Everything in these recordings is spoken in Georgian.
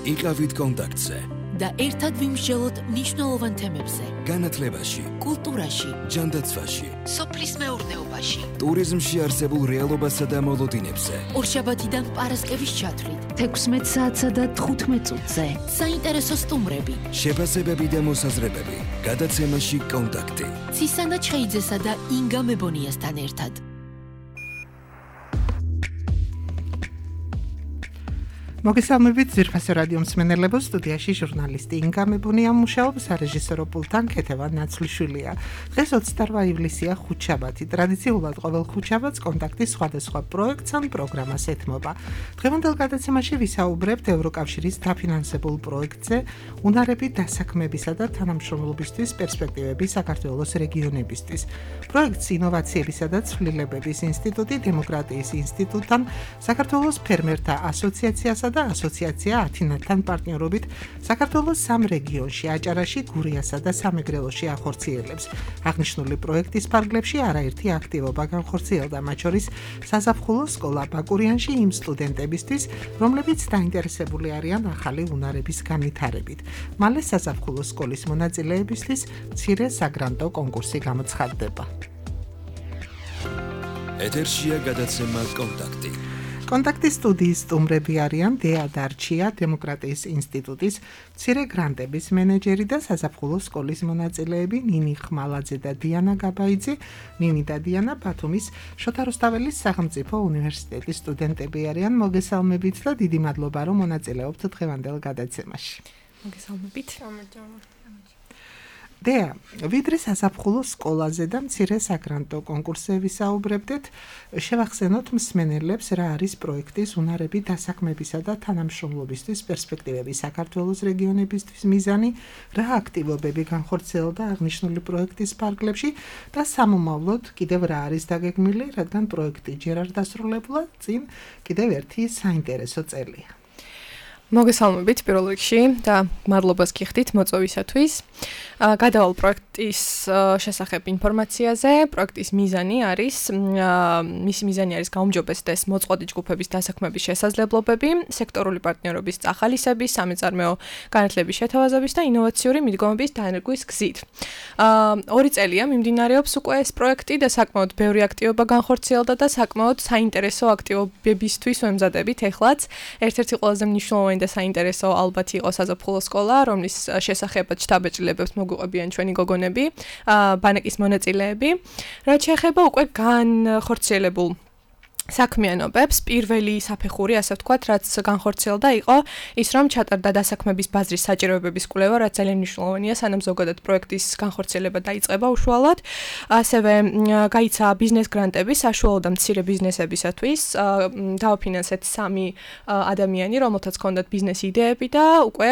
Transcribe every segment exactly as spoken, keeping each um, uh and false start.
იყავით კონტაქტზე და ერთად ვიმსჯელოთ მნიშვნელოვან თემებზე. განათლებაში, კულტურაში, ჯანდაცვაში, სოფლის მეურნეობაში, ტურიზმში არსებულ რეალობასა და მოლოდინებზე. ორშაბათიდან პარასკევის ჩათვლით, თექვსმეტ საათსა და თხუთმეტ წუთზე. საინტერესო სტუმრები, შეფასებები და მოსაზრებები. გადაცემაში კონტაქტი. ცისანა ჩხეიძესა და ინგა მებონიასთან ერთად. მოგესალმებით ძვირფასო რადიო მსმენელებო, სტუდიაში ჟურნალისტი ინგა მებონია მუშაობს, სარეჟისორო პულტთან ქეთევან ნაცვლიშვილია. დღეს ოცდაოთხი ივლისია, ხუთშაბათი. ტრადიციულად ყოველ ხუთშაბათს კონტაქტის სხვადასხვა პროექტს ან პროგრამას ეთმობა. დღევანდელ გადაცემაში ვისაუბრებთ ევროკავშირის დაფინანსებულ პროექტზე უნარები დასაქმებისა და თანამშრომლობისთვის პერსპექტივები საქართველოს რეგიონებისთვის. პროექტს ინოვაციებისა და ცვლილებების ინსტიტუტი, დემოკრატიის ინსტიტუტთან, საქართველოს ფერმერთა ასოციაციასა და ასოციაცია ათინათთან პარტნიორობით საქართველოს სამ რეგიონში, აჭარაში, გურიასა და სამეგრელოში ახორციელებს. აღნიშნული პროექტის ფარგლებში არაერთი აქტივობა განხორციელდა, მათ შორის საზაფხულო სკოლა ბაკურიანში იმ სტუდენტებისთვის, რომლებიც დაინტერესებული არიან ახალი უნარების განვითარებით. მალე საზაფხულო სკოლის მონაწილეებისთვის მცირე საგრანტო კონკურსი გამოცხადდება. ეთერშია გადაცემა კონტაქტი. კონტაქტის სტუდიის სტუმრები არიან დეა დარჩია, დემოკრატიის ინსტიტუტის მცირე გრანტების მენეჯერი და საზაფხულო სკოლის მონაწილეები ნინი ხმალაძე და დიანა გაბაიძე. ნინი და დიანა ბათუმის შოთა რუსთაველის სახელმწიფო უნივერსიტეტის სტუდენტები არიან. მოგესალმებით და დიდი მადლობა, რომ მონაწილეობთ დღევანდელ გადაცემაში. მოგესალმებით. დეა, ვიდრე საზაფხულო სკოლაზე და მცირე საგრანტო კონკურსზე ვისაუბრებდეთ, შევახსენოთ მსმენელებს, რა არის პროექტის უნარები დასაქმებისა და თანამშრომლობისთვის პერსპექტივები საქართველოს რეგიონებისთვის მიზანი, რა აქტივობები განხორციელდა აღნიშნული პროექტის ფარგლებში და სამომავლოდ კიდევ რა არის დაგეგმილი, რადგან პროექტი ჯერ არ დასრულებულა, წინ კიდევ ერთი საინტერესო წელია. მოგესალმებით პირველ რიგში და მადლობას გიხდით მოწვევისათვის. გადავალ პროექტის შესახებ ინფორმაციაზე. პროექტის მიზანი არის, მისი მიზანი არის გაუმჯობესდეს მოწყვლადი ჯგუფების დასაქმების შესაძლებლობები, სექტორული პარტნიორობის წახალისების, სამეწარმეო განათლების შეთავაზების და ინოვაციური მიდგომების დანერგვის გზით. ორი წელია მიმდინარეობს უკვე ეს პროექტი და საკმაოდ ბევრი აქტივობა განხორციელდა და საკმაოდ საინტერესო აქტივობებისთვის ვემზადებით ეხლაც. ერთ-ერთი ყველაზე მნიშვნელოვანი და საინტერესო ალბათ იყო საზაფხულო სკოლა, რომლის შესახებაც შთაბეჭდილებებს მოგვიყვებიან ჩვენი გოგონები, ბანაკის მონაწილეები. რაც შეეხება უკვე განხორციელებულ საქმიანობებს, პირველი საფეხური, ასე ვთქვათ, რაც განხორციელდა იყო ის, რომ ჩატარდა დასაქმების ბაზრის საჭიროებების კვლევა, რაც ძალიან მნიშვნელოვანია, სანამ ზოგადად პროექტის განხორციელება დაიწყება უშუალოდ. ასევე გაიცა ბიზნეს გრანტები საშუალო და მცირე ბიზნესებისათვის. დავაფინანსეთ სამი ადამიანი, რომელთაც ჰქონდათ ბიზნეს იდეები და უკვე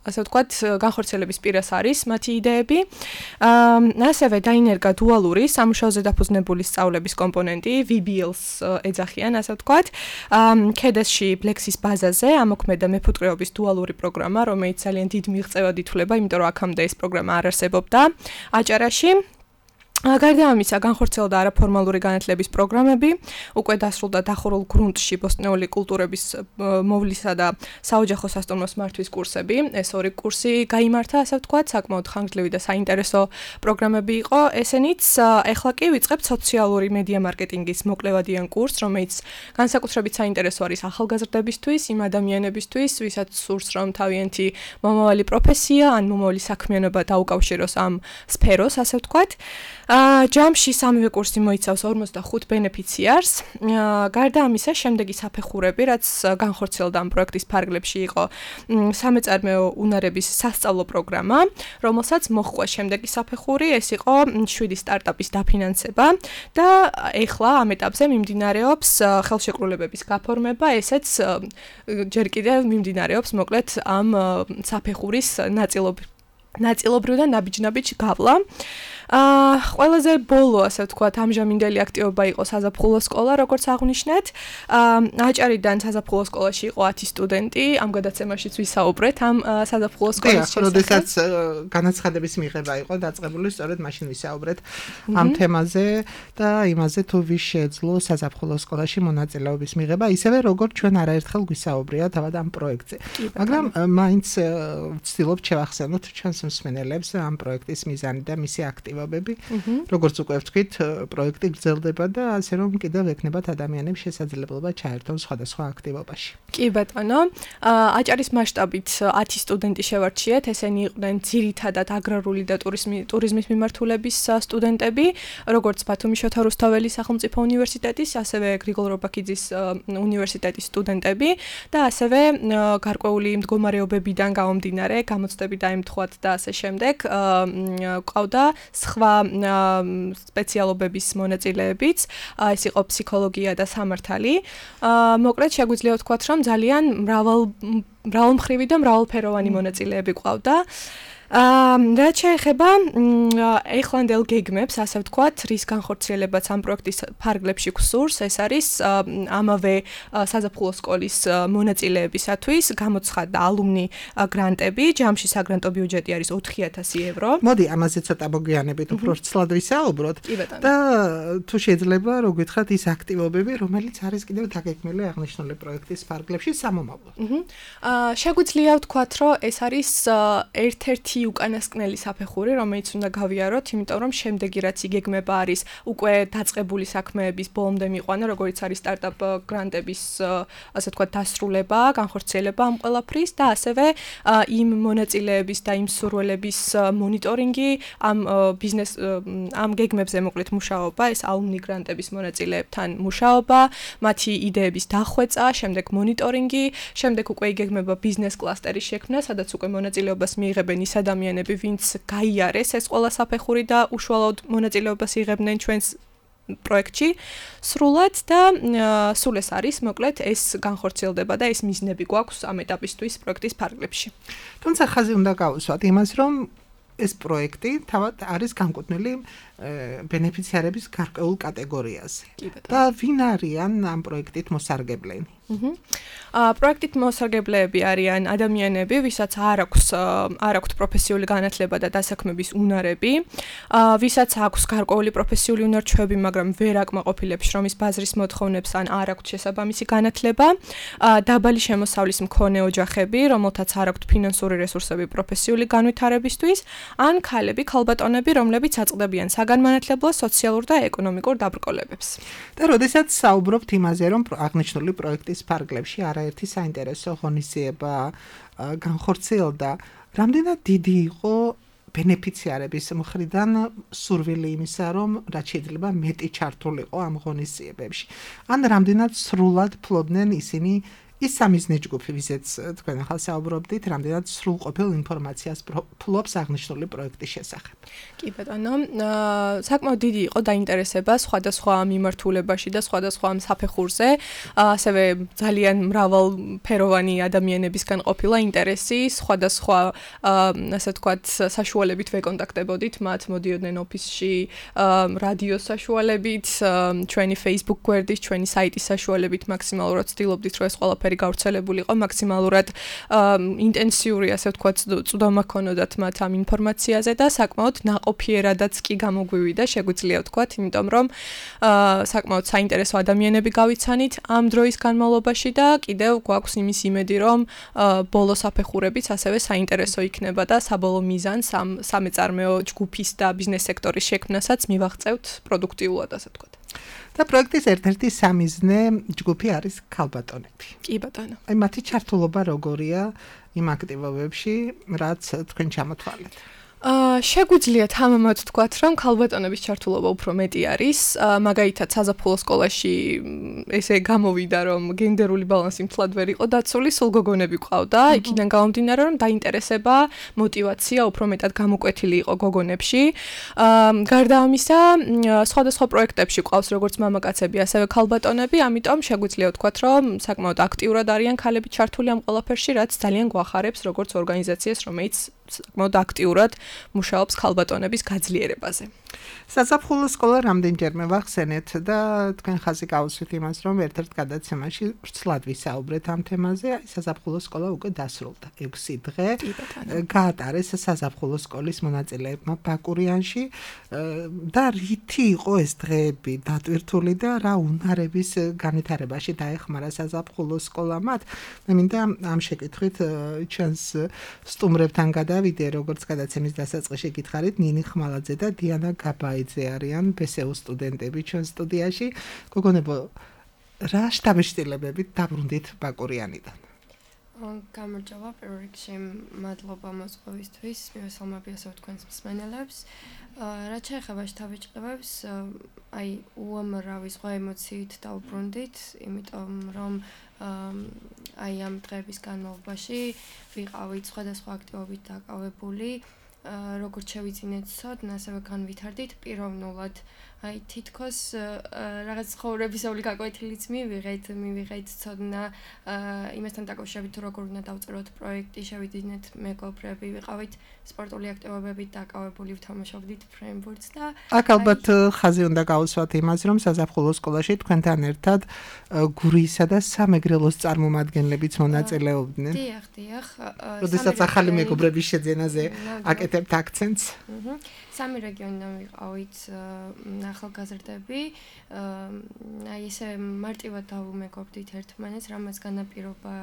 ასე ვთქვათ, განხორციელების პირას არის მათი იდეები. ასევე დაინერგა დუალური სამუშაოზე დაფუძნებული სწავლების კომპონენტი, ვი ბი ელს ეძახიან, ასე ვთქვათ. ქედესში ბლექსის ბაზაზე ამოქმედა მეფუტკრეობის დუალური პროგრამა, რომელიც ძალიან დიდ მიღწევად ითვლება, იმიტომ რომ აქამდე ეს პროგრამა არ არსებობდა აჭარაში. გარდა ამისა, განხორციელდა არაფორმალური განათლების პროგრამები, უკვე დასრულდა დახურულ გრუნტში ბოსტნეული კულტურების მოვლისა და საოჯახო სასტუმროს მართვის კურსები. ეს ორი კურსი გაიმართა, ასე ვთქვათ, საკმაოდ ხანგრძლივი და საინტერესო პროგრამები იყო. ესენიც ეხლა კი ვიწყებთ სოციალური მედია მარკეტინგის მოკლევადიან კურსს, რომელიც განსაკუთრებით საინტერესო არის ახალგაზრდებისთვის, იმ ადამიანებისთვის, ვისაც სურს, რომ თავიანთი მომავალი პროფესია ან მომავალი საქმიანობა დაუკავშიროს ამ სფეროს, ასე ვთქვათ. ჯამში სამივე კურსი მოიცავს ორმოცდახუთ ბენეფიციარს. გარდა ამისა, შემდეგი საფეხურები, რაც განხორციელდა ამ პროექტის ფარგლებში იყო სამეწარმეო უნარების სასწავლო პროგრამა, რომელსაც მოჰყვა შემდეგი საფეხური, ეს იყო შვიდი სტარტაპის დაფინანსება და ეხლა ამ ეტაპზე მიმდინარეობს ხელშეკრულებების გაფორმება, ესეც ჯერ კიდევ მიმდინარეობს მოკლედ ამ საფეხურის ნაწილობრივ ნაწილობრივ და ნაბიჯ-ნაბიჯ გავლა. აა ყველაზე ბოლო ასე ვთქვათ ამჟამინდელი აქტივობა იყო საზაფხულო სკოლა, როგორც აღვნიშნეთ. აა აჭარიდან საზაფხულო სკოლაში იყო ათი სტუდენტი, ამ გადაცემაშიც ვისაუბრეთ ამ საზაფხულო სკოლის შესახებ. როდესაც განაცხადების მიღება იყო დაწყებული, სწორედ მაშინ ვისაუბრეთ ამ თემაზე და იმაზე თუ ვის შეეძლო საზაფხულო სკოლაში მონაწილეობის მიღება, ისევე როგორც ჩვენ არაერთხელ გვისაუბრია თავად ამ პროექტზე. მაგრამ მაინც ვცდილობ შევახსენოთ ჩვენს მსმენელებს ამ პროექტის მიზანი და მისი აქტივობები. როგორც უკვე ვთქვით, პროექტი გრძელდება და ასე რომ კიდევ ექნებათ ადამიანებს შესაძლებლობა ჩაერთონ სხვადასხვა აქტივობაში. კი ბატონო, აჭარის მასშტაბით ათი სტუდენტი შევარჩიეთ, ესენი იყვნენ ძირითადად აგრარული და ტურიზმის მიმართულების სტუდენტები, როგორც ბათუმის შოთა რუსთაველის სახელმწიფო უნივერსიტეტის, ასევე გრიგოლ რობაქიძის უნივერსიტეტის სტუდენტები და ასევე გარკვეული მდგომარეობებიდან გამომდინარე, გამოცდები დაემთხვათ და ასე შემდეგ, ყავდა სხვა სპეციალობების მონაწილეებიც, ეს იყო ფსიქოლოგია და სამართალი. მოკლედ შეგვიძლია ვთქვათ, რომ ძალიან მრავალ მრავალმხრივი და მრავალფეროვანი მონაწილეები ყავდა. რაც შეეხება ეხლანდელ გეგმებს, ასე ვთქვათ, რის განხორციელებაც ამ პროექტის ფარგლებში გსურს, ეს არის ამავე საზაფხულო სკოლის მონაწილეებისათვის გამოცხადდა ალუმნი გრანტები, ჯამში საგრანტო ბიუჯეტი არის ოთხი ათასი ევრო. მოდი ამაზე ცოტა მოგვიანებით უფრო ცლად ვისაუბროთ და თუ შეიძლება რო გითხრათ ის აქტივობები, რომელიც არის კიდევ დაგეგმილი აღნიშნული პროექტის ფარგლებში სამომავლოდ. შეგვიძლია ვთქვათ, რომ ეს არის ერთ-ერთი უკანასკნელი საფეხური, რომელიც უნდა გავიაროთ, იმიტომ რომ შემდეგი რაც იგეგმება არის უკვე დაწყებული საქმეების ბოლომდე მიყვანა, როგორც არის სტარტაპ გრანტების, ასე ვთქვათ, დასრულება, განხორციელება ამ ყველაფრის და ასევე იმ მონაწილეების და იმ სურვილების მონიტორინგი, ამ ბიზნეს ამ გეგმებზე მოკლედ მუშაობა, ეს ალუმნი გრანტების მონაწილეებთან მუშაობა, მათი იდეების დახვეწა, შემდეგ მონიტორინგი, შემდეგ უკვე იგეგმება ბიზნეს კლასტერის შექმნა, სადაც უკვე მონაწილეობას მიიღებენ ის ადამიანები, ვინც გაიარეს ეს ყველა საფეხური და უშუალოდ მონაწილეობას იღებდნენ ჩვენს პროექტში სრულად და სულ ეს არის, მოკლედ ეს განხორციელდება და ეს მიზნები გვაქვს ამ ეტაპისთვის პროექტის ფარგლებში. თუმცა ხაზი უნდა გავუსვათ იმას, რომ ეს პროექტი თავად არის განკუთვნილი ბენეფიციარების გარკვეულ კატეგორიაზე. და ვინ არიან ამ პროექტით მოსარგებლენი? აა პროექტით მოსარგებლეები არიან ადამიანები, ვისაც არ აქვს არ აქვთ პროფესიული განათლება და დასაქმების უნარები, აა ვისაც აქვს გარკვეული პროფესიული უნარჩვევები, მაგრამ ვერ აკმაყოფილებს შრომის ბაზრის მოთხოვნებს ან არ აქვთ შესაბამისი განათლება, აა დაბალი შემოსავლის მქონე ოჯახები, რომელთაც არ აქვთ ფინანსური რესურსები პროფესიული განვითარებისთვის, ან ქალები, ქალბატონები, რომლებიც აწყდებიან საგანმანათლებლო, სოციალურ და ეკონომიკურ დაბრკოლებებს. და როდესაც საუბრობთ იმაზე, რომ აღნიშნული პროექტის ფარგლებში არაერთი საინტერესო ღონისძიება განხორციელდა, რამდენად დიდი იყო ბენეფიციარების მხრიდან სურვილი იმისა, რომ რაც შეიძლება მეტი ჩართულიყო ამ ღონისძიებებში. ან რამდენად სრულად ფლობდნენ ისინი ის სამიზნე ჯგუფი, ვისაც თქვენ ახლა საუბრობდით, რამდენად სრულყოფილ ინფორმაციას ფლობს აღნიშნული პროექტის შესახებ. კი ბატონო, საკმაოდ დიდი იყო დაინტერესება სხვადასხვა მიმართულებაში და სხვადასხვა საფეხურზე, ასევე ძალიან მრავალფეროვანი ადამიანებისგან ყოფილა ინტერესი, სხვადასხვა, ასე ვთქვათ, საშუალებით ვეკონტაქტებოდით მათ, მოდიოდნენ ოფისში, რადიოს საშუალებით, ჩვენი Facebook გვერდის, ჩვენი საიტის საშუალებით მაქსიმალურად ვცდილობდით, რომ ეს ყველაფერი გავრცელებულიყო მაქსიმალურად ინტენსიური, ასე ვთქვათ, წვდომა ქონოდათ მათ ამ ინფორმაციაზე და საკმაოდ ნაყოფიერადაც კი გამოგვივიდა, შეგვიძლია ვთქვათ, იმიტომ რომ საკმაოდ საინტერესო ადამიანები გავიცანით ამ დროის განმავლობაში და კიდევ გვაქვს იმის იმედი, რომ ბოლო საფეხურებიც ასევე საინტერესო იქნება და საბოლოო მიზანს ამ სამეწარმეო ჯგუფის და ბიზნეს სექტორის შექმნასაც მივაღწევთ პროდუქტიულად, ასე ვთქვათ. და პროექტის ერთ-ერთი სამიზნე ჯგუფი არის ქალბატონები. კი ბატონო. აი მათი ჩართულობა როგორია იმ აქტივობებში, რაც თქვენ ჩამოთვალეთ? აა შეგვიძლიათ ამამად ვთქვათ, რომ ქალბატონების ჩართულობა უფრო მეტი არის, მაგალითად საზაფხულო სკოლაში ესე გამოვიდა, რომ გენდერული ბალანსი მთლად ვერ იყო დაცული, სულ გოგონები ყავდა, იქიდან გამომდინარე, რომ დაინტერესება, мотиваცია უფრო მეტად გამოკვეთილი იყო გოგონებში. აა გარდა ამისა, სხვადასხვა პროექტებში ყავს როგორც მამაკაცები, ასევე ქალბატონები, ამიტომ შეგვიძლია ვთქვათ, რომ საკმაოდ აქტიურად არიან ქალები ჩართული ამ ყველაფერში, რაც ძალიან გვახარებს როგორც ორგანიზაციას, რომელიც საკმაოდ აქტიურად მუშაობს ქალბატონების გაძლიერებაზე. საზაფხულო სკოლა რამდენჯერმე ვახსენეთ და თქვენ ხაზი გაუსვით იმას, რომ ერთ-ერთ გადაცემაში ვრცლად ვისაუბრეთ ამ თემაზე. საზაფხულო სკოლა უკვე დასრულდა. ექვსი დღე გაატარეს საზაფხულო სკოლის მონაწილეებმა ბაკურიანში და რითი იყო ეს დღეები დატვირთული და რა უნარების განვითარებაში დაეხმარა საზაფხულო სკოლა მათ. მე მინდა ამ შეკითხვით ჩვენს სტუმრებთან გადავიდე, როგორც გადაცემის დასაწყისში გითხარით, ნინი ხმალაძე და დიანა გაბაიძე არიან ბესეუ სტუდენტები ჩვენ სტუდიაში. გოგონებო, რა შთაბეჭდილებებით დაბრუნდით ბაკურიანიდან? გამარჯობა, პირველ რიგში მადლობა მოსყოვისთვის, მივესალმები ასევე თქვენს მსმენელებს. რაც შეეხება შთაბეჭდილებებს, აი უამრავი სხვა ემოციით დავბრუნდით, იმიტომ რომ აი ამ დღეების განმავლობაში ვიყავით სხვადასხვა აქტივობით დაკავებული. როგორც შევიძინეთ ცოდნა, ასევე განვითარდით პიროვნულად. აი თითქოს რაღაც ცხოვრებისეული გაკვეთილიც მივიღეთ, მივიღეთ ცოდნა იმასთან დაკავშირებით, როგორ უნდა დავწეროთ პროექტი, შევიძინეთ მეგობრები, ვიყავით სპორტული აქტივობებით დაკავებული, ვთამაშობდით ფრენბურთს და აქ ალბათ ხაზი უნდა გავუსვათ იმას, რომ საზაფხულო სკოლაში თქვენთან ერთად გურიისა და სამეგრელოს წარმომადგენლებიც მონაწილეობდნენ. დიახ, დიახ. როდესაც ახალი მეგობრების შეძენაზე აკეთებთ აქცენტს. სამი რეგიონიდან ვიყავით ახალგაზრდები, აი ესე მარტივად დავუმეგობრდით ერთმანეთს, რამაც განაპირობა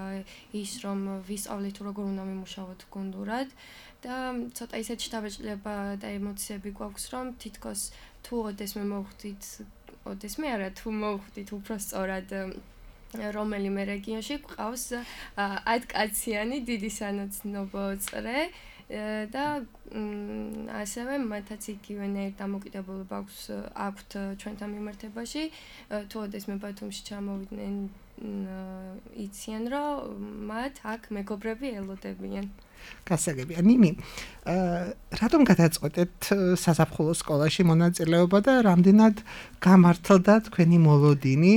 ის, რომ ვისწავლით როგორ უნდა მიმუშავოთ გუნდურად და ცოტა ისეთ შთაბეჭდილება და ემოციები გვაქვს, რომ თითქოს თუ ოდესმე მოვხვდით, ოდესმე არა, თუ მოვხვდით უბრალოდ რომელიმე რეგიონში გვყავს ათკაციანი დიდი სანაცნობო წრე და ასევე მათაც იგივენაირ დამოკიდებულება აქვთ ჩვენთან მიმართებაში. თუ ოდესმე ბათუმში ჩამოვიდნენ, იციან, რომ მათ აქ მეგობრები ელოდებიან. გასაგებია. ნინი, რატომ გადაწყვეტეთ საზაფხულო სკოლაში მონაწილეობა და რამდენად გამართლდა თქვენი მოლოდინი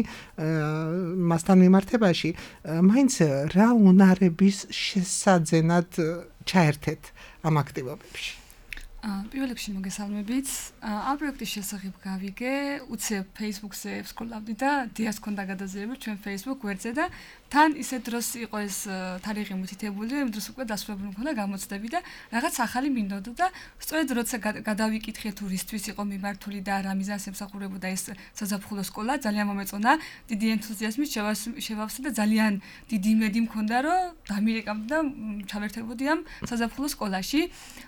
მასთან მიმართებაში? მაინც რა უნარების შესაძენად ჩაერთეთ ამ აქტივობებში? პირველ რიგში მოგესალმებით. ამ პროექტის შესახებ გავიგე, უცებ Facebook-ზე ვსკროლავდი და დიას ქონდა გადაზიარება ჩვენ Facebook გვერდზე და თან ისე დროს იყო ეს თარიღი მითითებული, იმ დროს უკვე დასრულებული მქონდა გამოცდები და რაღაც ახალი მინდოდა და სწორედ როცა გადავიკითხე თუ რისთვის იყო მიმართული და რა მიზანს ემსახურებოდა ეს საზაფხულო სკოლა, ძალიან მომეწონა, დიდი ენთუზიაზმით შევავსე და ძალიან დიდი იმედი მქონდა, რომ დამირეკავდი და ჩავერთებოდი ამ საზაფხულო სკოლაში.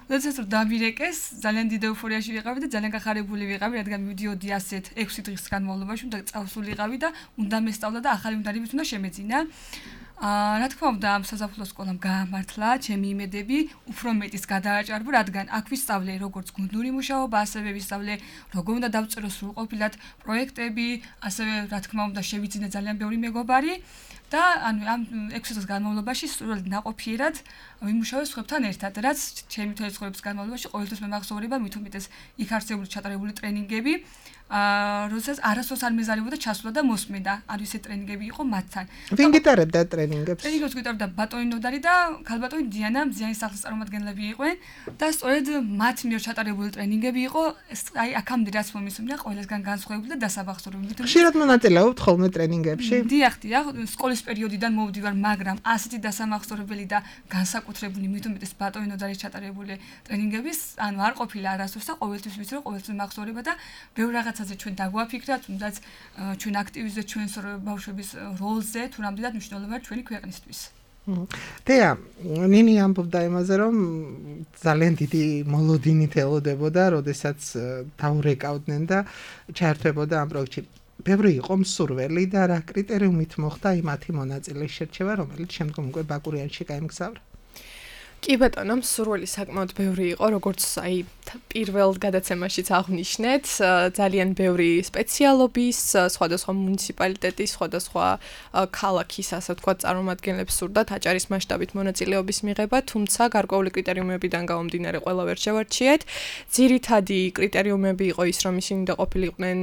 როდესაც დამირეკეს, ძალიან დიდი ეუფორიაში ვიყავი და ძალიან გახარებული ვიყავი, რადგან მივიდიოდი ასეთ ექვსი დღის განმავლობაში, უნდა წავსულიყავი და უნდა მესწავლა და ახალი უნარებით უნდა შემეძინა. აა რა თქმა უნდა ამ საზაფხულო სკოლამ გაამართლა ჩემი იმედები უფრო მეტის გადააჭარბა, რადგან აქ ვისწავლე როგორც გუნდური მუშაობა, ასევე ვისწავლე როგორ უნდა დავწერო სრულყოფილად პროექტები, ასევე რა თქმა უნდა შევიძინე ძალიან ბევრი მეგობარი და ანუ ამ ექვსი წლის განმავლობაში სრულად ნაყოფიერად ვიმუშავე სხვებთან ერთად, რაც ჩემი თვლის ცხოვრების განმავლობაში ყოველთვის მე მახსოვრება, მით უმეტეს იქ არსებული ჩატარებული ტრენინგები. აა როდესაც არასდროს არ მეზარებოდა ჩასვლა და მოსმენა, ანუ ისე ტრენინგები იყო მათთან. ვინ გიტარებდა ტრენინგებს? ტრენინგებს გიტარებდა ბატონი ნოდარი და ქალბატონი დიანა, მზიანი სახლის წარმომადგენლები იყვნენ და სწორედ მათ მიერ ჩატარებული ტრენინგები იყო, აი აქამდე რაც მომისმენია, ყველასგან განსხვავებული და დასაბახსოვრებელი. ხშირად მონაწილეობთ ხოლმე ტრენინგებში? დიახ, დიახ, სკოლის პერიოდიდან მოვდივარ, მაგრამ ასეთი დასამახსოვრებელი და განსაკუთრებული მით უმეტეს ბატონი ნოდარის ჩატარებული ტრენინგების, ანუ არ ყოფილა არასდროს და ყოველთვის ვიცი, რომ ყოველთვის მახსოვრება და ბევრ რაღაც ჩვენ დაგვაფიქრა, თუნდაც ჩვენ აქტივიზდეთ ჩვენს ბავშვების როლზე, თუ რამდენად მნიშვნელოვანია ჩვენი ქვეყნისთვის. დეა, ნინი ამბობდა იმაზე, რომ ძალიან დიდი მოლოდინით ელოდებოდა, როდესაც დაურეკავდნენ და ჩაერთვებოდა ამ პროექტში. ბევრი იყო მსურველი და რა კრიტერიუმით მოხდა იმათი მონაწილეის შერჩევა, რომელიც შემდგომ უკვე ბაკურიანში გაემგზავრა? კი ბატონო, მსურველი საკმაოდ ბევრი იყო, როგორც აი პირველ გადაცემაშიც აღნიშნეთ, ძალიან ბევრი სპეციალობის, სხვადასხვა მუნიციპალიტეტის, სხვადასხვა ქალაქის, ასე ვთქვათ, წარმომადგენლებს სურდათ აჭარის მასშტაბით მონაწილეობის მიღება, თუმცა გარკვეული კრიტერიუმებიდან გამომდინარე ყველა ვერ შევარჩიეთ. ძირითადი კრიტერიუმები იყო ის, რომ ისინი უნდა ყოფილიყვნენ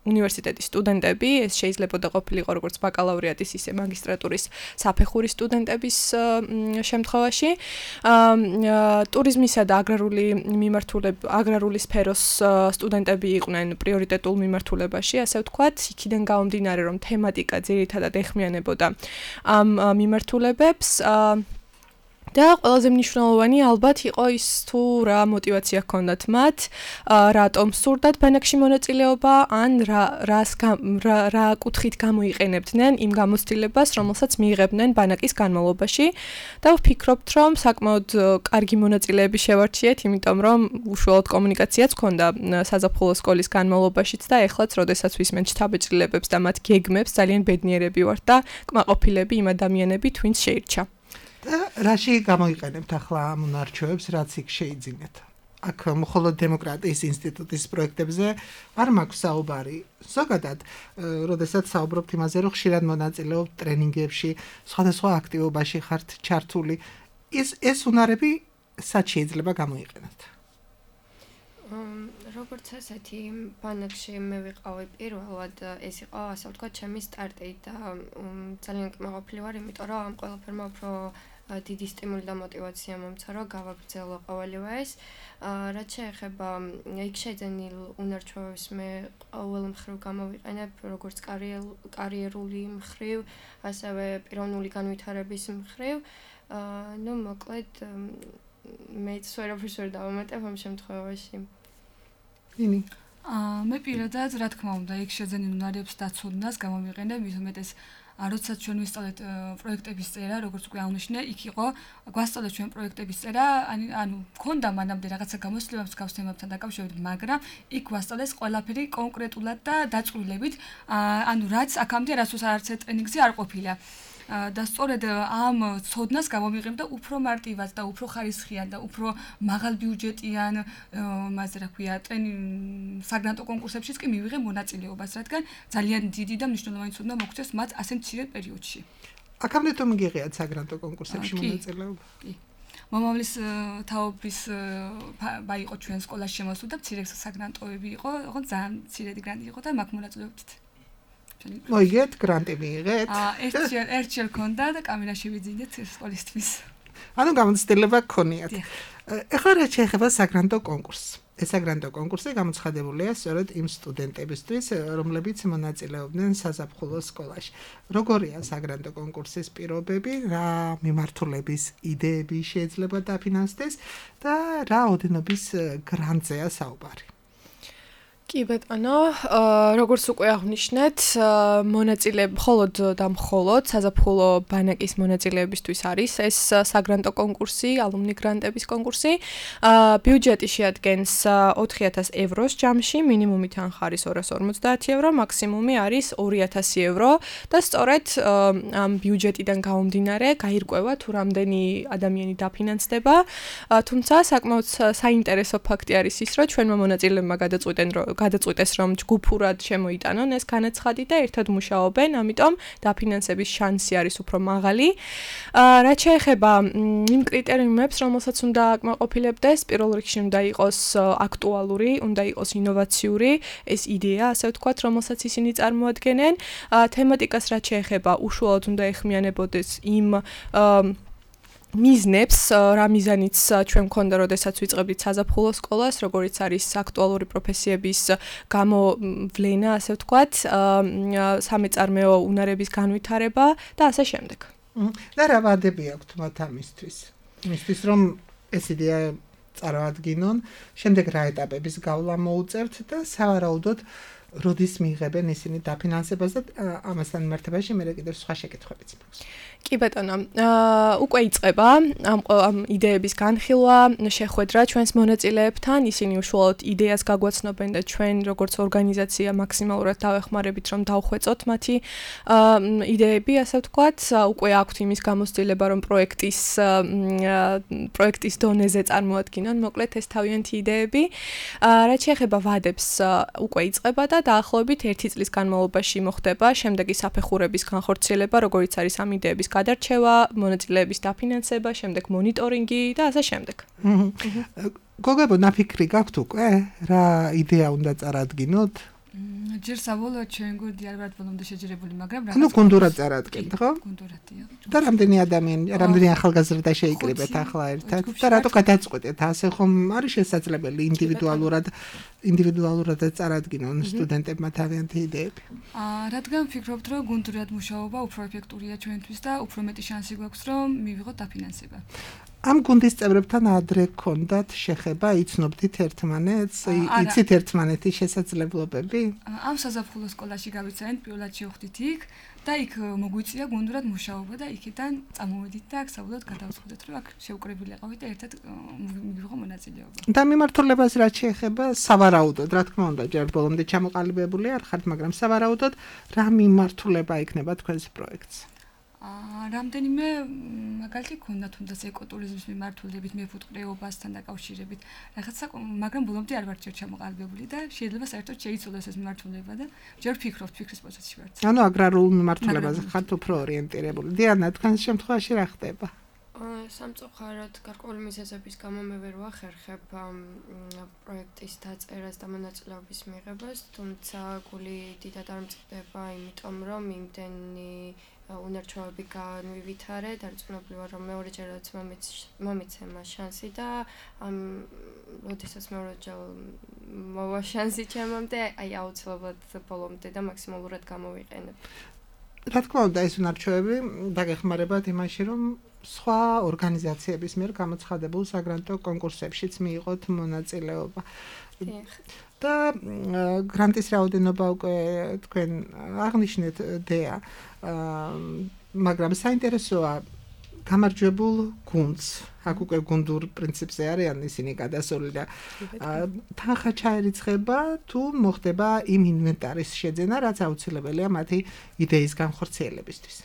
უნივერსიტეტის სტუდენტები, ეს შეიძლება ყოფილიყო როგორც ბაკალავრიატის, ისე მაგისტრატურის საფეხურის სტუდენტების შემთხვევაში. ტურიზმისა და აგრარული მიმართულება, აგრარული სფეროს სტუდენტები იყვნენ პრიორიტეტულ მიმართულებაში, ასე ვთქვათ, იქიდან გამომდინარე, რომ თემატიკა ძირითადად ეხმიანებოდა ამ მიმართულებებს. და ყველაზე მნიშვნელოვანი ალბათ იყო ის თუ რა мотиваცია ჰქონდათ მათ, რატომ სურდათ ბანაკში მონაწილეობა, ან რა რას რა კუთხით გამოიყენებდნენ იმ გამოცდილებას, რომელსაც მიიღებდნენ ბანაკის განმავლობაში. და ვფიქრობთ, რომ საკმაოდ კარგი მონაწილეები შევარჩიეთ, იმიტომ რომ უშუალოდ კომუნიკაციაც ჰქონდა საზაფხულო სკოლის განმავლობაშიც და ეხლაც, როდესაც ვისმენთ შთაბეჭდილებებს და მათ გეგმებს, ძალიან ბედნიერები ვართ და კმაყოფილები იმ ადამიანებით, ვინც შეირჩა. და რაში გამოიყენებთ ახლა ამ უნარჩვევებს, რაც იქ შეიძინეთ? აქ მხოლოდ დემოკრატიის ინსტიტუტის პროექტებზე არ მაქვს საუბარი. ზოგადად, როდესაც საუბრობთ იმაზე, რომ ხშირად მონაწილეობთ ტრენინგებში, სხვადასხვა აქტივობაში ხართ ჩართული, ეს ეს უნარები სად შეიძლება გამოიყენოთ? როგორც ასეთი ბანაკში მე ვიყავი პირველად, ეს იყო ასე ვთქვათ ჩემი სტარტი და ძალიან კმაყოფილი ვარ, იმიტომ რომ ამ ყველაფერმა უფრო დიდი სტიმული და мотиваცია მომცა, რომ გავაგრძელო ყოველივე ეს. რაც შეეხება იქ შეძენილ უნარჩვევებს მე ყოველ მხრივ გამოვიყენებ, როგორც კარიერული მხრივ, ასევე პიროვნული განვითარების მხრივ. ну, მოკლედ მეც ვერაფერს ვერ დავამატებ ამ შემთხვევაში. ინი აა მე პირადად რა თქმა უნდა იქ შეძენილ უნარებს დაცოდნას გამომიყენებ, მის უმეტეს როდესაც ჩვენ ვისწავლეთ პროექტების წერა, როგორც უკვე აღნიშნე, იქ იყო გვასწავლეთ ჩვენ პროექტების წერა, ანუ მქონდა მანამდე რაღაცა გამოცდილება მსგავს თემებთან დაკავშირებით, მაგრამ იქ გვასწავლეს ყველაფერი კონკრეტულად და დაწვრილებით, ანუ რაც აქამდე რასაც არც ერთ ტრენინგზე არ ყოფილა. და სწორედ ამ ცოდნას გამომიყენებ და უფრო მარტივად და უფრო ხარისხიან და უფრო მაღალ ბიუჯეტიან, მასე რა ქვია, საგრანტო კონკურსებშიც კი მივიღე მონაწილეობას, რადგან ძალიან დიდი და მნიშვნელოვანი ცოდნა მოგცეს მათ ასე მცირე პერიოდში. აქამდე თუ მიგიღიათ საგრანტო კონკურსებში მონაწილეობა? კი. მომავლის თაობის ბა იყო ჩვენ სკოლაში შემოსულ და მცირე საგრანტოები იყო, ოღონდ ძალიან მცირედი გრანტი იყო და მაგ მონაწილეობდით. მოიგეთ გრანტი მიიღეთ? აა ერთჯერ ერთჯერ ქონდა და კამერაში ვიძინეთ სკოლისთვის. ანუ გამოცდილება გქონიათ. ეხლა რა შეეხება საგრანტო კონკურსს? ეს საგრანტო კონკურსი გამოცხადებულია სწორედ იმ სტუდენტებისთვის, რომლებიც მონაწილეობდნენ საზაფხულო სკოლაში. როგორია საგრანტო კონკურსის პირობები, რა მიმართულების იდეები შეიძლება დაფინანსდეს და რა ოდენობის გრანტზეა საუბარი? კი ბატონო, როგორც უკვე აღნიშნეთ, მონაწილეები მხოლოდ და მხოლოდ საზაფხულო ბანაკის მონაწილეებისთვის არის ეს საგრანტო კონკურსი, ალუმნი გრანტების კონკურსი. ბიუჯეტი შეადგენს ოთხი ათას ევროს ჯამში, მინიმუმი თანხა არის ორას ორმოცდაათი ევრო, მაქსიმუმი არის ორი ათასი ევრო და სწორედ ამ ბიუჯეტიდან გამომდინარე გაირკვევა თუ რამდენი ადამიანი დაფინანსდება. თუმცა საკმაოდ საინტერესო ფაქტი არის ის, რომ ჩვენმა მონაწილეებმა გადაწყვიტენ, რომ გადაწყვიტეს რომ ჯგუფურად შემოიტანონ ეს განაცხადი და ერთად მუშაობენ, ამიტომ დაფინანსების შანსი არის უფრო მაღალი. რაც შეეხება იმ კრიტერიუმებს, რომელსაც უნდა აკმაყოფილებდეს, პირველ რიგში უნდა იყოს აქტუალური, უნდა იყოს ინოვაციური ეს იდეა, ასე ვთქვათ, რომელსაც ისინი წარმოადგენენ. თემატიკას რაც შეეხება, უშუალოდ უნდა ეხმიანებოდეს იმ მიზნებს, რა მიზანიც ჩვენ მქონდა, როდესაც ვიწყებდით საზაფხულო სკოლას, როგორიც არის აქტუალური პროფესიების გამოვლენა, ასე ვთქვათ, სამეწარმეო უნარების განვითარება და ასე შემდეგ. და რა ვადები აქვთ მათ ამისთვის? იმისთვის, რომ ეს იდეა წარმოადგინონ, შემდეგ რა ეტაპების გავლა მოუწევთ და სავარაუდოდ როდის მიიღებენ ისინი დაფინანსებას და ამასთან მიმართებაში მე კიდევ სხვა შეკითხვებიც მაქვს. კი ბატონო, უკვე იწყება ამ ამ იდეების განხილვა, შეხვედრა ჩვენს მონაწილეებთან, ისინი უშუალოდ იდეას გაგვაცნობენ და ჩვენ როგორც ორგანიზაცია მაქსიმალურად დავეხმარებით, რომ დავხვეწოთ მათი იდეები, ასე ვთქვათ, უკვე აქვთ იმის გამოცდილება, რომ პროექტის პროექტის დონეზე წარმოადგინონ, მოკლედ ეს თავიანთი იდეები. რაც შეეხება ვადებს, უკვე იწყება და დაახლოებით ერთი წლის განმავლობაში მოხდება შემდეგი საფეხურების განხორციელება, როგორიც არის ამ იდეების გადარჩევა, მონაწილეების დაფინანსება, შემდეგ მონიტორინგი და ასე შემდეგ. გოგებო, ნაფიქრი გაქვთ უკვე? რა იდეა უნდა წარადგინოთ? ჯერ საბოლოოდ ჩვენ გუნდი არ ვართ ბოლომდე შეჯერებული, მაგრამ რა. ანუ გუნდურად წარადგენთ, ხო? გუნდურადია. და რამდენი ადამიანი, რამდენი ახალგაზრდა შეიკრიბეთ ახლა ერთად? და რატო გადაწყვეტეთ? ასე ხომ არის შესაძლებელი ინდივიდუალურად ინდივიდუალურად წარადგინონ სტუდენტებმა თავიანთი იდეები? აა, რადგან ვფიქრობთ, რომ გუნდურად მუშაობა უფრო ეფექტურია ჩვენთვის და უფრო მეტი შანსი გვაქვს, რომ მივიღოთ დაფინანსება. ამ გუნდის წევრებთან ადრე გქონდათ შეხება, იცნობდით ერთმანეთს, იცით ერთმანეთის შესაძლებლობები? ამ საზაფხულო სკოლაში გავიცანით, პირველად შევხვდით იქ და იქ მოგვიწია გუნდურად მუშაობა და იქიდან წამოვედით და აქ საბოლოოდ გადავწყვეტეთ, რომ აქ შევკრებილი ყავით და ერთად მივიღო მონაწილეობა. და მიმართულებას რაც შეეხება, სავარაუდოდ, რა თქმა უნდა, ჯერ ბოლომდე ჩამოყალიბებული არ ხართ, მაგრამ სავარაუდოდ რა მიმართულება იქნება თქვენს პროექტს? აა, რამდენიმე მაგალითი ქონდა თუნდაც ეკოტურიზმის მიმართულებით, მეფუტკრეობასთან დაკავშირებით. რაღაცა, მაგრამ ბოლომდე არ ვარ ჯერ ჩამოყალიბებული და შეიძლება საერთოდ შეიცვალოს ეს მიმართულება და ჯერ ვფიქრობთ, ფიქრის პროცესში ვართ. ანუ აგრარულ მიმართულებაზე ხართ უფრო ორიენტირებული. დიანა, თქვენს შემთხვევაში რა ხდება? სამწუხაროდ გარკვეული მიზეზების გამო მე ვერ ვახერხებ პროექტის დაწერას და მონაწილეობის მიღებას, თუმცა გული დიდად არ მწყდება, იმიტომ რომ იმდენი უნარჩვევები განვივითარე, დარწმუნებული ვარ, რომ მეორეჯერაც მომიცემა შანსი და ამ როდესაც მეორეჯერ მოვა შანსი ჩემამდე, აი აუცილებლად ბოლომდე და მაქსიმალურად გამოვიყენებ. რა თქმა უნდა, ეს უნარჩვევები დაგეხმარებათ იმაში, რომ სხვა ორგანიზაციების მიერ გამოცხადებულ საგრანტო კონკურსებშიც მიიღოთ მონაწილეობა. და გრანტის რაოდენობა უკვე თქვენ აღნიშნეთ დეა, მაგრამ საინტერესოა გამარჯვებულ გუნდს, აქ უკვე გუნდურ პრინციპზე არიან ისინი გადასული და თანხა ჩაერიცხება თუ მოხდება იმ ინვენტარის შეძენა, რაც აუცილებელია მათი იდეის განხორციელებისთვის.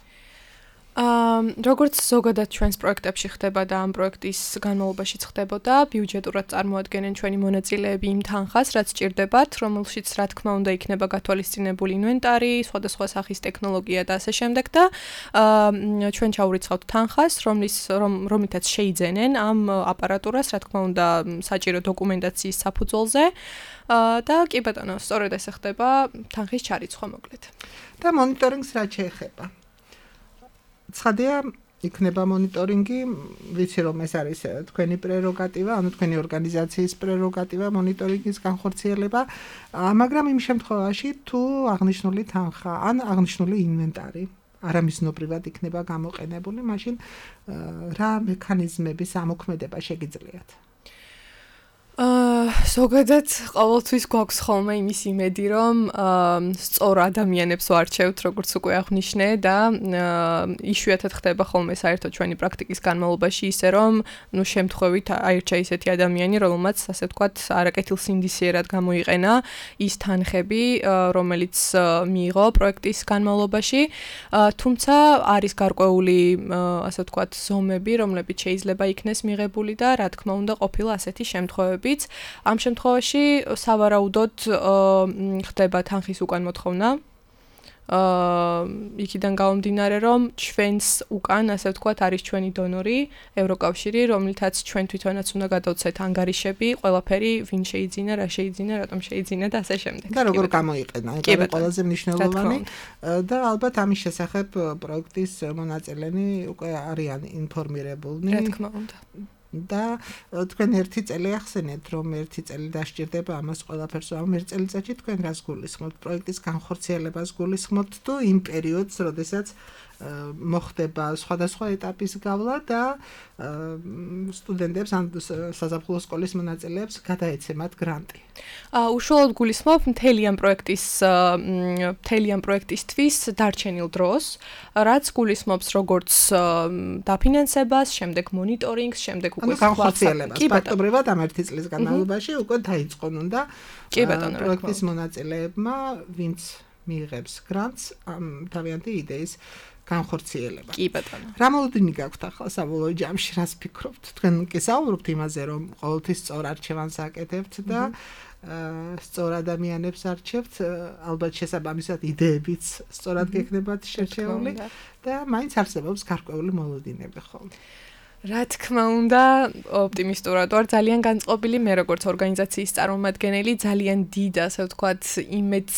აა, როგორც ზოგადად ჩვენს პროექტებში ხდება და ამ პროექტის განმავლობაში ხდებოდა, ბიუჯეტურად წარმოადგენენ ჩვენი მონაწილეები იმ თანხას, რაც სჭირდებათ, რომელშიც რა თქმა უნდა იქნება გათვალისწინებული ინვენტარი, სხვადასხვა სახის ტექნოლოგია და ასე შემდეგ და აა, ჩვენ ჩაურიცხავთ თანხას, რომლის რომლითაც შეიძენენ ამ აპარატურას, რა თქმა უნდა, საჭირო დოკუმენტაციის საფუძველზე. აა, და კი ბატონო, სწორედ ესე ხდება თანხის ჩარიცხვა მოკლედ. და მონიტორინგს რა შეეხება? ცხადია, იქნება მონიტორინგი, ვიცი რომ ეს არის თქვენი პრეროგატივა, ანუ თქვენი ორგანიზაციის პრეროგატივა მონიტორინგის განხორციელება, მაგრამ იმ შემთხვევაში თუ აღნიშნული თანხა ან აღნიშნული ინვენტარი არამიზნობრივად იქნება გამოყენებული, მაშინ რა მექანიზმების ამოქმედება შეგიძლიათ? აა, ზოგადად ყოველთვის გვაქვს ხოლმე იმის იმედი, რომ სწორ ადამიანებს ვარჩევთ, როგორც უკვე აღნიშნე და იშვიათად ხდება ხოლმე საერთოდ ჩვენი პრაქტიკის განმავლობაში ისე, რომ ნუ შემთხვევით აირჩა ისეთი ადამიანი, რომელმაც ასე ვთქვათ, არაკეთილსინდისიერად გამოიყენა ის თანხები, რომელიც მიიღო პროექტის განმავლობაში, თუმცა არის გარკვეული ასე ვთქვათ, ზომები, რომლებიც შეიძლება იქნეს მიღებული და რა თქმა უნდა ყოფილა ასეთი შემთხვევები. ამ შემთხვევაში სავარაუდოდ ხდება თანხის უკან მოთხოვნა. აა, იქიდან გამომდინარე, რომ ჩვენს უკან, ასე ვთქვათ, არის ჩვენი დონორი, ევროკავშირი, რომლითაც ჩვენ თვითონაც უნდა გადავცეთ ანგარიშები, ყველაფერი, ვინ შეიძინა, რა შეიძინა, რატომ შეიძინა და ასე შემდეგ. და როგორ გამოიყენა, ეს არის ყველაზე მნიშვნელოვანი და ალბათ ამის შესახებ პროექტის მონაწილენი უკვე არიან ინფორმირებულნი. რა თქმა უნდა. და თქვენ ერთი წელი ახსენეთ, რომ ერთი წელი დასჭირდება ამას ყველაფერს, ამ ერთ წელიწადში თქვენ რას გულისხმობთ? პროექტის განხორციელებას გულისხმობთ თუ იმ პერიოდს, როდესაც მოხდება სხვადასხვა ეტაპის გავლა და სტუდენტებს ან საზაფხულო სკოლის მონაწილეებს გადაეცემათ გრანტი. აა, უშუალოდ გულისხმობ მთელი ამ პროექტის მთელი ამ პროექტისთვის დარჩენილ დროს, რაც გულისხმობს როგორც დაფინანსებას, შემდეგ მონიტორინგს, შემდეგ უკვე განხორციელებას. ფაქტობრივად ამ ერთი წლის განმავლობაში უკვე დაიწყონ უნდა პროექტის მონაწილეებმა, ვინც მიიღებს გრანტს, ამ თავიანთი იდეის განხორციელება. კი ბატონო. რა მოლოდინი გაქვთ ახლა საბოლოო ჯამში, რას ფიქრობთ? თქვენ კი საუბრობთ იმაზე, რომ ყოველთვის სწორ არჩევანს აკეთებთ და სწორ ადამიანებს არჩევთ, ალბათ შესაბამისად იდეებიც სწორად გექნებათ შერჩეული და მაინც არსებობს გარკვეული მოლოდინები ხოლმე. რა თქმა უნდა, ოპტიმისტურად ვარ, ძალიან განწყობილი მე როგორც ორგანიზაციის წარმომადგენელი, ძალიან დიდ, ასე ვთქვათ, იმედს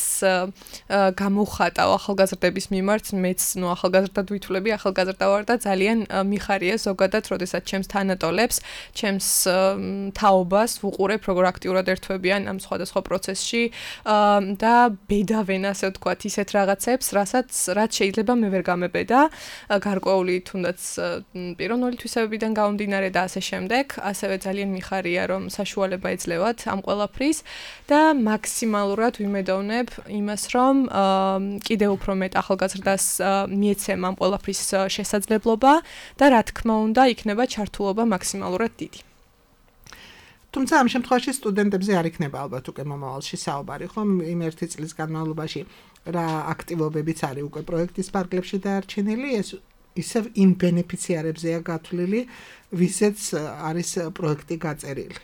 გამოვხატავ ახალგაზრდების მიმართ, მეც ნუ ახალგაზრდად ვითვლები, ახალგაზრდა ვარ და ძალიან მიხარია ზოგადად, როდესაც ჩემს თანატოლებს, ჩემს თაობას ვუყურებ, როგორ აქტიურად ერთვებიან ამ სხვადასხვა პროცესში და ბედავენ, ასე ვთქვათ, ისეთ რაღაცებს, რასაც რაც შეიძლება მე ვერ გამებედა, გარკვეული თუნდაც პიროვნული თვისებები დან გამომდინარე და ასე შემდეგ, ასევე ძალიან მიხარია რომ საშუალება ეძლევათ ამ ყველაფრის და მაქსიმალურად ვიმედოვნებ იმას რომ კიდევ უფრო მეტ ახალგაზრდას მიეცემ ამ ყველაფრის შესაძლებლობა და რა თქმა უნდა იქნება ჩართულობა მაქსიმალურად დიდი. თუმცა ამ შემთხვევაში სტუდენტებზე არ იქნება ალბათ უკვე მომავალში საუბარი, ხომ იმ ერთი წლის განმავლობაში რა აქტივობებიც არის უკვე პროექტის პარკლებში დაარჩენილი, ეს ისევ იმ ბენეფიციარებზეა გათვლილი, ვისაც არის პროექტი გაწერილი.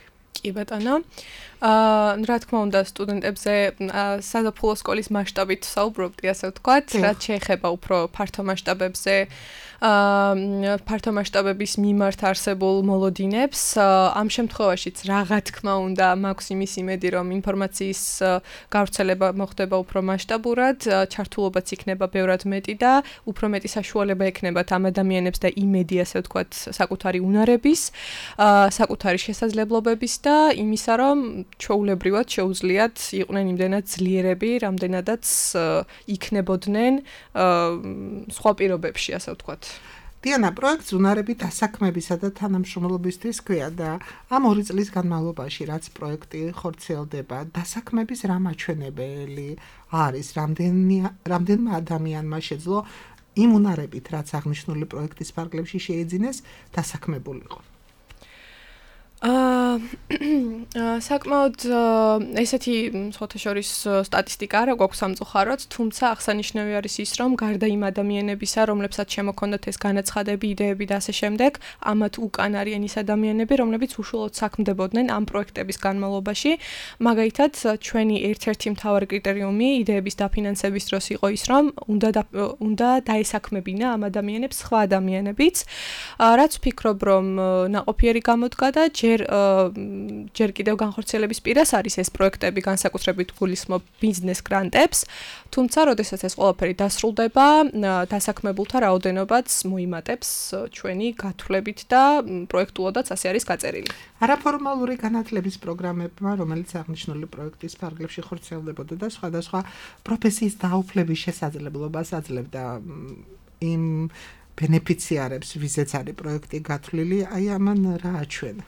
კი ბატონო. აა რა თქმა უნდა სტუდენტებზე საზაფხულო სკოლის მასშტაბით საუბრობდი, ასე ვთქვათ, რაც შეეხება უფრო ფართო მასშტაბებზე აა ფართო მასშტაბების მიმართ არსებულ მოლოდინებს. ამ შემთხვევაშიც რა თქმა უნდა მაქვს იმის იმედი, რომ ინფორმაციის გავრცელება მოხდება უფრო მასშტაბურად, ჩართულობაც იქნება ბევრად მეტი და უფრო მეტი საშუალება ექნებათ ამ ადამიანებს და იმედი, ასე ვთქვათ, საკუთარი უნარების, საკუთარი შესაძლებლობების და იმისა, რომ ჩვეულებრივად შეუძლიათ იყვნენ იმდენად ძლიერები, რამდენადაც იქნებოდნენ სხვა პირობებში, ასე ვთქვათ. დიანა, პროექტს უნარები დასაქმებისა და თანამშრომლობისთვის ქვია და ამ ორი წლის განმავლობაში, რაც პროექტი ხორციელდება, დასაქმების რა მაჩვენებელი არის, რამდენმა ადამიანმა შეძლო იმ უნარებით, რაც აღნიშნული პროექტის პარკლებში შეეძინეს, დასაქმებულიყო. აა საკმაოდ ესეთი სხვათა შორის სტატისტიკა არა გვაქვს სამწუხაროდ, თუმცა აღსანიშნავი არის ის, რომ გარდა იმ ადამიანებისა, რომლებსაც შემოქონდათ ეს განაცხადები, იდეები და ასე შემდეგ, ამათ უკან არიან ის ადამიანები, რომლებიც უშუალოდ საქმდებოდნენ ამ პროექტების განმავლობაში. მაგალითად, ჩვენი ერთ-ერთი მთავარი კრიტერიუმი იდეების დაფინანსების დროს იყო ის, რომ უნდა უნდა დაესაქმებინა ამ ადამიანებს სხვა ადამიანებიც, რაც ვფიქრობ, რომ ნაყოფიერი გამოდგა და ჯერ კიდევ განხორციელების პირას არის ეს პროექტები განსაკუთრებით გულისხმობ ბიზნეს გრანტებს, თუმცა როდესაც ეს ყველაფერი დასრულდება, დასაქმებულთა რაოდენობაც მოიმატებს ჩვენი გათვლებით და პროექტულადაც ასე არის გაწერილი. არაფორმალური განათლების პროგრამებმა, რომელიც აღნიშნული პროექტის პარკლებში ხორციელდებოდა და სხვადასხვა პროფესიის დაუფლების შესაძლებლობას აძლევდა იმ ბენეფიციარებს, ვიზეც არის პროექტი გათვლილი, აი ამან რა აჩვენა?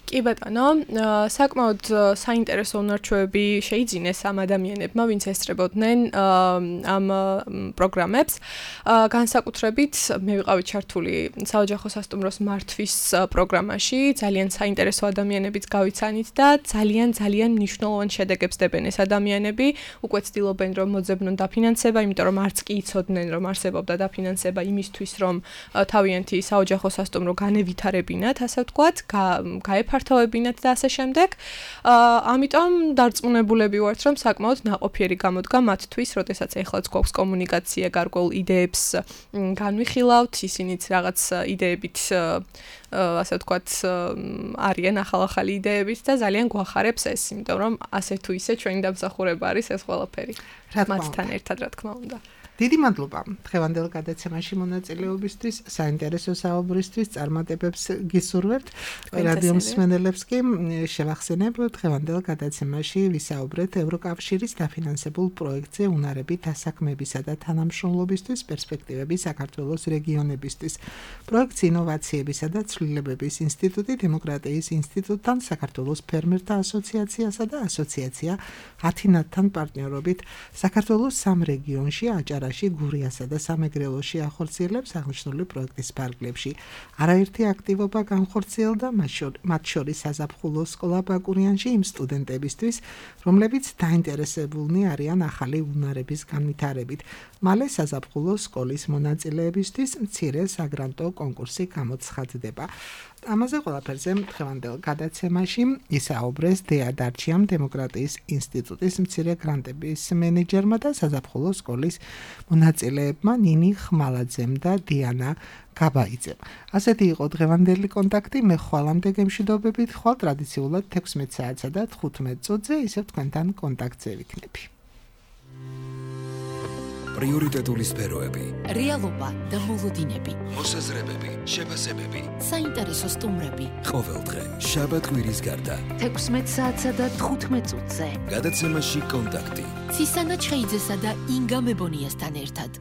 კი ბატონო, საკმაოდ საინტერესო უნარჩვევები შეიძინეს ამ ადამიანებმა, ვინც ესწრებოდნენ ამ პროგრამებს. განსაკუთრებით მე ვიყავი ჩართული საოჯახო სასტუმროს მართვის პროგრამაში, ძალიან საინტერესო ადამიანებიც გავიცანით და ძალიან ძალიან მნიშვნელოვან შედეგებს დებენ ეს ადამიანები. უკვე ცდილობენ რომ მოძებნონ დაფინანსება, იმიტომ რომ არც კი იცოდნენ რომ არსებობდა დაფინანსება იმისთვის, რომ თავიანთი საოჯახო სასტუმრო განევითარებინათ, ასე ვთქვათ, გაეფართოვებინათ და ასე შემდეგ. ამიტომ დარწმუნებულები ვართ, რომ საკმაოდ ნაყოფიერი გამოდგა მათთვის, როდესაც ეხლაც გვაქვს კომუნიკაცია, გარკვეულ იდეებს განვიხილავთ, ისინიც რაღაც იდეებით ასე ვთქვათ არიან ახალ-ახალი იდეებით და ძალიან გვახარებს ეს, იმიტომ რომ ასე თუ ისე ჩვენი დამსახურება არის ეს ყველაფერი. მათთან ერთად, რა თქმა უნდა. დიდი მადლობა დღევანდელ გადაცემაში მონაწილეობისთვის, საინტერესო საუბრისთვის, წარმატებებს გისურვებთ. რადიო მსმენელებს კი შევახსენებ, დღევანდელ გადაცემაში ვისაუბრეთ ევროკავშირის დაფინანსებულ პროექტზე უნარები დასაქმებისა და თანამშრომლობისთვის პერსპექტივები საქართველოს რეგიონებისთვის. პროექტს ინოვაციებისა და ცვლილებების ინსტიტუტი, დემოკრატიის ინსტიტუტთან, საქართველოს ფერმერთა ასოციაციასა და ასოციაცია ათინათთან პარტნიორობით საქართველოს სამ რეგიონში აჭარა გურიასა და სამეგრელოში ახორციელებს აღნიშნული პროექტის პარკლებში. არაერთი აქტივობა განხორციელდა, მათ შორის საზაფხულო სკოლა ბაკურიანში იმ სტუდენტებისთვის, რომლებიც დაინტერესებულნი არიან ახალი უნარების განვითარებით. მალე საზაფხულო სკოლის მონაწილეებისთვის მცირე საგრანტო კონკურსი გამოცხადდება. ამაზე ყველაფერზე დღევანდელ გადაცემაში ისაუბრეს დეა დარჩიამ დემოკრატიის ინსტიტუტის მცირე გრანტების მენეჯერმა და საზაფხულო სკოლის მონაწილეებმა ნინი ხმალაძემ და დიანა გაბაიძემ. ასეთი იყო დღევანდელი კონტაქტი. მე ხვალამდე გემშვიდობებით ხვალ ტრადიციულად თექვსმეტ საათსა და თხუთმეტ წუთზე ისევ თქვენთან კონტაქტზე ვიქნები. პრიორიტეტული სფეროები, რეალობა და მოლოდინები, მოსაზრებები, შეფასებები, საინტერესო სტუმრები. ყოველდღე, შაბათ-კვირის გარდა. თექვსმეტ საათსა და თხუთმეტ წუთზე. გადაცემაში კონტაქტი. ცისანა ჩხეიძესა და ინგა მებონიასთან ერთად.